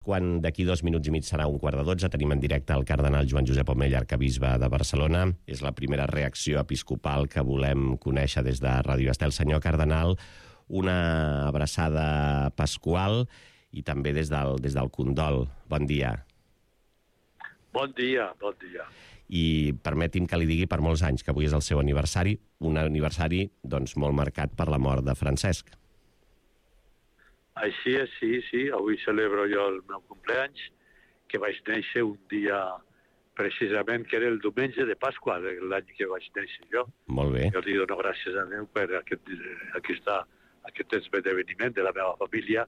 Quan d'aquí 2 minuts i mig serà 11:45, tenim en directe el cardenal Joan Josep Omella, arcabisbe de Barcelona. És la primera reacció episcopal que volem conèixer des de Ràdio Estel. Senyor cardenal, una abraçada pasqual i també des del condol. Bon dia. Bon dia, bon dia. I permeti'm que li digui per molts anys que avui és el seu aniversari, un aniversari doncs, molt marcat per la mort de Francesc. Així és, sí. Avui celebro jo el meu cumpleaños, que vaig néixer un dia precisament, que era el diumenge de Pasqua, l'any que vaig néixer jo. Molt bé. Jo li dono gràcies a Déu per aquest esdeveniment de la meva família,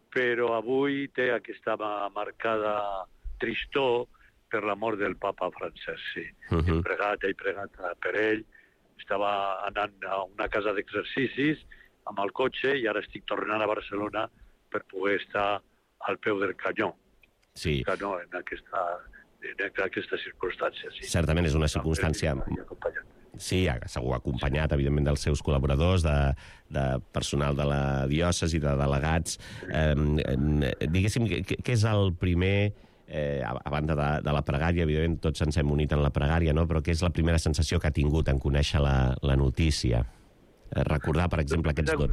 però avui té aquesta marcada tristor per la mort del papa Francesc, sí. He pregat per ell, estava anant a una casa d'exercicis amb el cotxe i ara estic tornant a Barcelona per poder estar al peu del canyó. Sí. Canyó en aquesta circumstància, sí. Certament és una circumstància... Sí, segur acompanyat, evidentment, dels seus col·laboradors, de personal de la diòcesi, de delegats. Diguéssim, què és el primer... a banda de la pregària, evidentment tots ens hem unit en la pregària, no? Però què és la primera sensació que ha tingut en conèixer la notícia? Recordar, per exemple, aquests dos...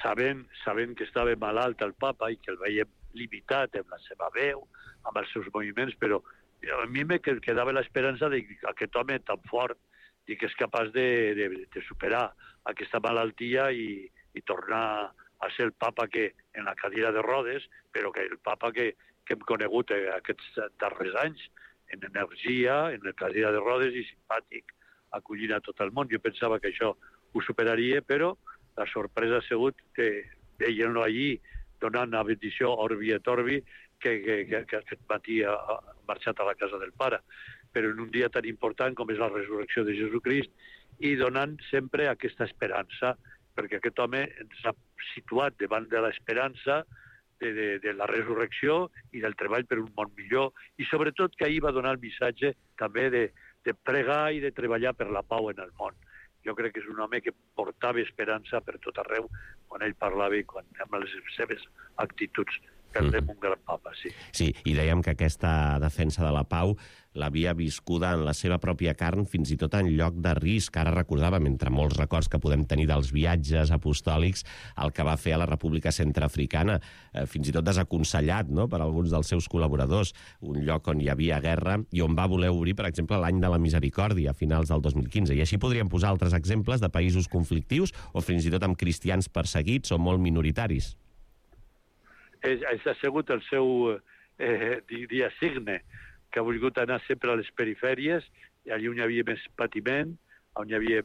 Sabent que estava malalt el papa i que el veiem limitat amb la seva veu, amb els seus moviments, però a mi me quedava l'esperança d'aquest home tan fort i que és capaç de superar aquesta malaltia i tornar a ser el papa que en la cadira de rodes, però que el papa que hem conegut aquests darrers anys, en energia, en la cadira de rodes i simpàtic, acollint a tot el món. Jo pensava que això ho superaria, però la sorpresa ha sigut que veient-lo allí donant la bendició Orbi et Orbi que aquest matí ha marxat a la casa del pare. Però en un dia tan important com és la resurrecció de Jesucrist i donant sempre aquesta esperança, perquè aquest home ens ha situat davant de l'esperança de la resurrecció i del treball per un món millor, i sobretot que ahir va donar el missatge també de pregar i de treballar per la pau en el món. Jo crec que és un home que portava esperança per tot arreu quan ell parlava i amb les seves actituds. Perdem un gran papa, sí. Sí, i dèiem que aquesta defensa de la pau l'havia viscuda en la seva pròpia carn, fins i tot en lloc de risc. Ara recordàvem, entre molts records que podem tenir dels viatges apostòlics, el que va fer a la República Centreafricana, fins i tot desaconsellat, no?, per alguns dels seus col·laboradors, un lloc on hi havia guerra i on va voler obrir, per exemple, l'any de la Misericòrdia, a finals del 2015. I així podríem posar altres exemples de països conflictius o fins i tot amb cristians perseguits o molt minoritaris. Ha sigut el seu dia signe, que ha volgut anar sempre a les perifèries, i allà on hi havia més patiment, on hi havia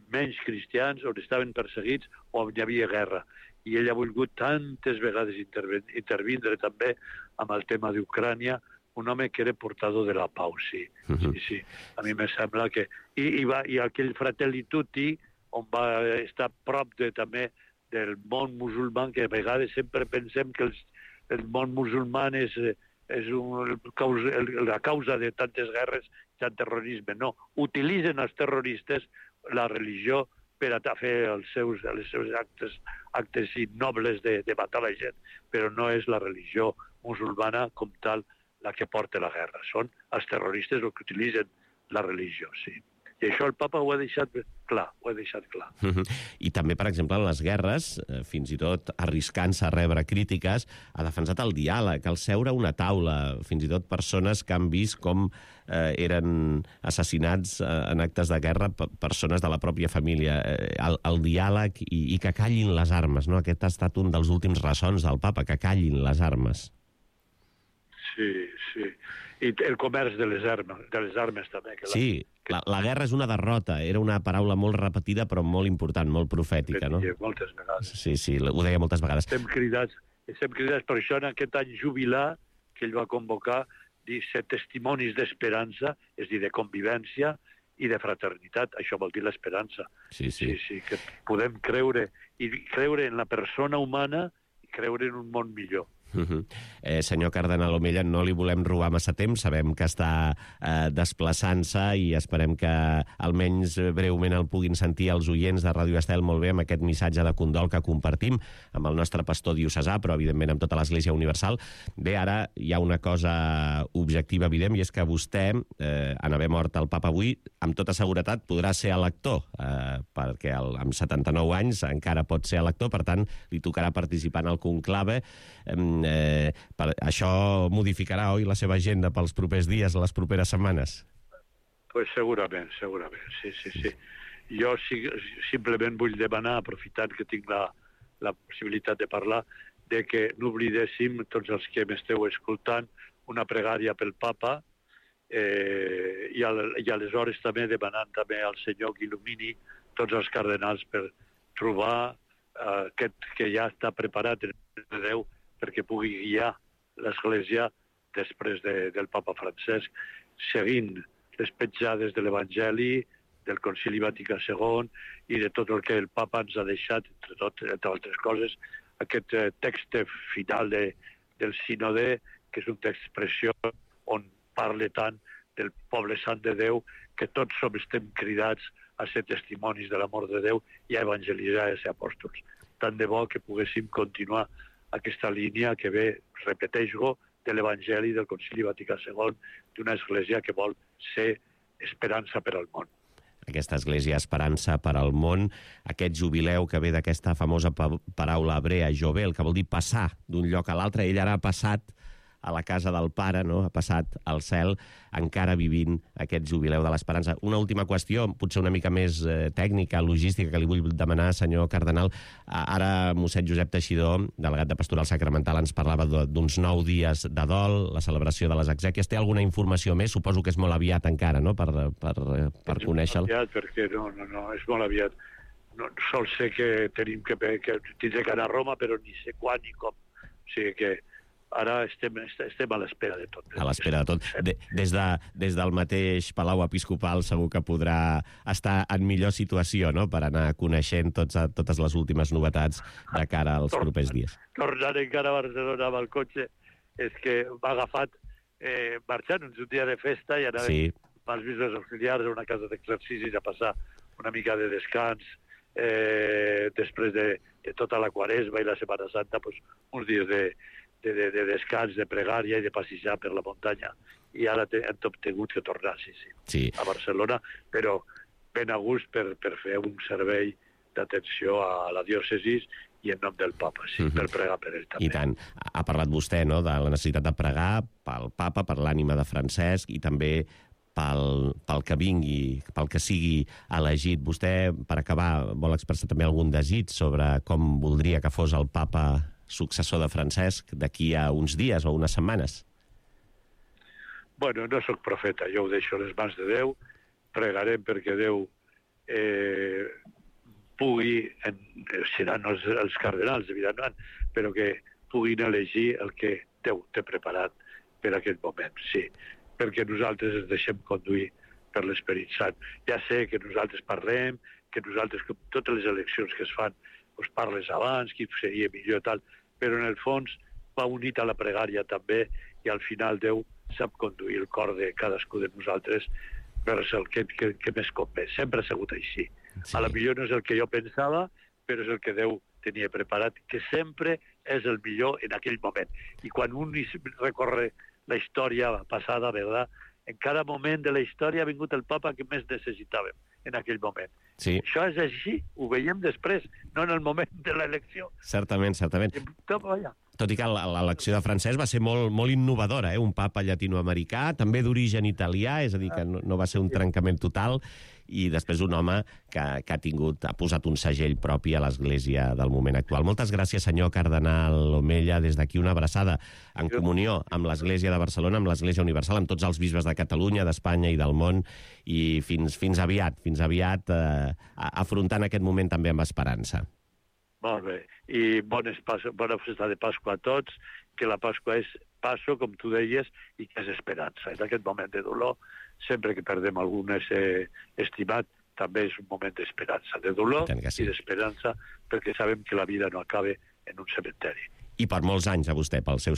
menys cristians, on estaven perseguits o on hi havia guerra. I ell ha volgut tantes vegades intervindre també amb el tema d'Ucrània, un home que era portador de la pau, sí. Sí. A mi me sembla que... I aquell Fratelli Tutti, on va estar prop també del món musulmà, que a vegades sempre pensem que el món musulmà és la causa de tantes guerres i tant terrorisme. No, utilitzen els terroristes la religió per a fer els seus actes innobles de matar la gent, però no és la religió musulmana com tal la que porta la guerra. Són els terroristes els que utilitzen la religió, sí. I això el papa ho ha deixat clar, I també, per exemple, en les guerres, fins i tot arriscant-se a rebre crítiques, ha defensat el diàleg, el seure a una taula, fins i tot persones que han vist com eren assassinats en actes de guerra persones de la pròpia família. El diàleg i que callin les armes, no? Aquest ha estat un dels últims ressons del papa, que callin les armes. Sí. I el comerç de les armes també. Sí, la guerra és una derrota. Era una paraula molt repetida, però molt important, molt profètica, no? Moltes vegades. Sí, ho deia moltes vegades. Estem cridats per això en aquest any jubilar que ell va convocar, dir ser testimonis d'esperança, és a dir, de convivència i de fraternitat. Això vol dir l'esperança. Sí, que podem creure en la persona humana i creure en un món millor. Senyor cardenal Omella, no li volem robar massa temps, sabem que està desplaçant-se i esperem que almenys breument el puguin sentir els oients de Ràdio Estel molt bé amb aquest missatge de condol que compartim amb el nostre pastor diocesà, però evidentment amb tota l'Església Universal. Bé, ara hi ha una cosa objectiva evident, i és que vostè, en haver mort el papa avui, amb tota seguretat podrà ser elector, perquè amb 79 anys encara pot ser elector, per tant, li tocarà participar en el conclave. Això modificarà, oi, la seva agenda pels propers dies, les properes setmanes? Pues segurament, sí. Jo simplement vull demanar, aprofitant que tinc la possibilitat de parlar, de que no oblidéssim, tots els que m'esteu escoltant, una pregària pel papa, i aleshores també demanant també al Senyor que il·lumini tots els cardenals per trobar aquest que ja està preparat en de Déu perquè pugui guiar l'Església després del papa Francesc, seguint les petjades de l'Evangeli, del Concili Vaticà II i de tot el que el papa ens ha deixat, entre altres coses, aquest text final del sínode, que és un text preciós on parla tant del poble sant de Déu, que tots estem cridats a ser testimonis de l'amor de Déu i a evangelitzar i a ser apòstols. Tant de bo que poguéssim continuar aquesta línia que ve, repeteix-ho, de l'Evangeli del Concili Vaticà II, d'una església que vol ser esperança per al món. Aquesta església esperança per al món, aquest jubileu que ve d'aquesta famosa paraula hebrea, jovel, que vol dir passar d'un lloc a l'altre. Ell ara ha passat a la casa del Pare, no? Ha passat al cel, encara vivint aquest jubileu de l'esperança. Una última qüestió, potser una mica més tècnica, logística, que li vull demanar, senyor cardenal. Ara mossèn Josep Teixidor, delegat de Pastoral Sacramental, ens parlava d'uns 9 dies de dol, la celebració de les exèquies. Té alguna informació més? Suposo que és molt aviat encara, no?, per conèixer-lo. És molt aviat, perquè no, és molt aviat. No, sol sé que tenim que tindré que anar a Roma, però ni sé quan ni com. O sigui que ara estem a l'espera de tot. A l'espera de tot. Des del mateix Palau Episcopal segur que podrà estar en millor situació, no?, per anar coneixent totes les últimes novetats de cara als propers dies. Tornant encara a Barcelona amb el cotxe, és que m'ha agafat marxant un dia de festa i anar amb els bisbes auxiliars a una casa d'exercicis a passar una mica de descans després de tota la Quaresma i la Setmana Santa, uns dies de descans, de pregària i de passejar per la muntanya. I ara hem tingut que tornar, a Barcelona, però ben a gust per fer un servei d'atenció a la diòcesis i en nom del papa, per pregar per ell també. I tant. Ha parlat vostè, no?, de la necessitat de pregar pel papa, per l'ànima de Francesc i també pel que vingui, pel que sigui elegit. Vostè, per acabar, vol expressar també algun desig sobre com voldria que fos el papa successor de Francesc d'aquí a uns dies o unes setmanes? Bueno, no sóc profeta, jo ho deixo a les mans de Déu, pregarem perquè Déu pugui, seran els cardenals, evidentment, però que puguin elegir el que Déu té preparat per aquest moment, sí, perquè nosaltres ens deixem conduir per l'Esperit Sant. Ja sé que nosaltres parlem, que nosaltres, com totes les eleccions que es fan, parles abans, qui seria millor, tal, però en el fons va unit a la pregària també i al final Déu sap conduir el cor de cadascú de nosaltres vers el que més convé. Sempre ha sigut així. A la millor no és el que jo pensava, però és el que Déu tenia preparat, que sempre és el millor en aquell moment. I quan un recorre la història passada, ¿verdad?, en cada moment de la història ha vingut el papa que més necessitàvem en aquell moment. Sí. Això és així, ho veiem després, no en el moment de l'elecció. Certament. Tot i que l'elecció de Francesc va ser molt innovadora, un papa llatinoamericà, també d'origen italià, és a dir, que no va ser un trencament total, i després un home que ha posat un segell propi a l'Església del moment actual. Moltes gràcies, senyor cardenal Omella. Des d'aquí una abraçada en comunió amb l'Església de Barcelona, amb l'Església Universal, amb tots els bisbes de Catalunya, d'Espanya i del món, i fins aviat, afrontant aquest moment també amb esperança. Molt bé. I bona festa de Pasqua a tots, que la Pasqua és passo, com tu deies, i que és esperança. En aquest moment de dolor, sempre que perdem algun estimat, també és un moment d'esperança, de dolor i d'esperança, perquè sabem que la vida no acaba en un cementeri. I per molts anys a vostè, pel seu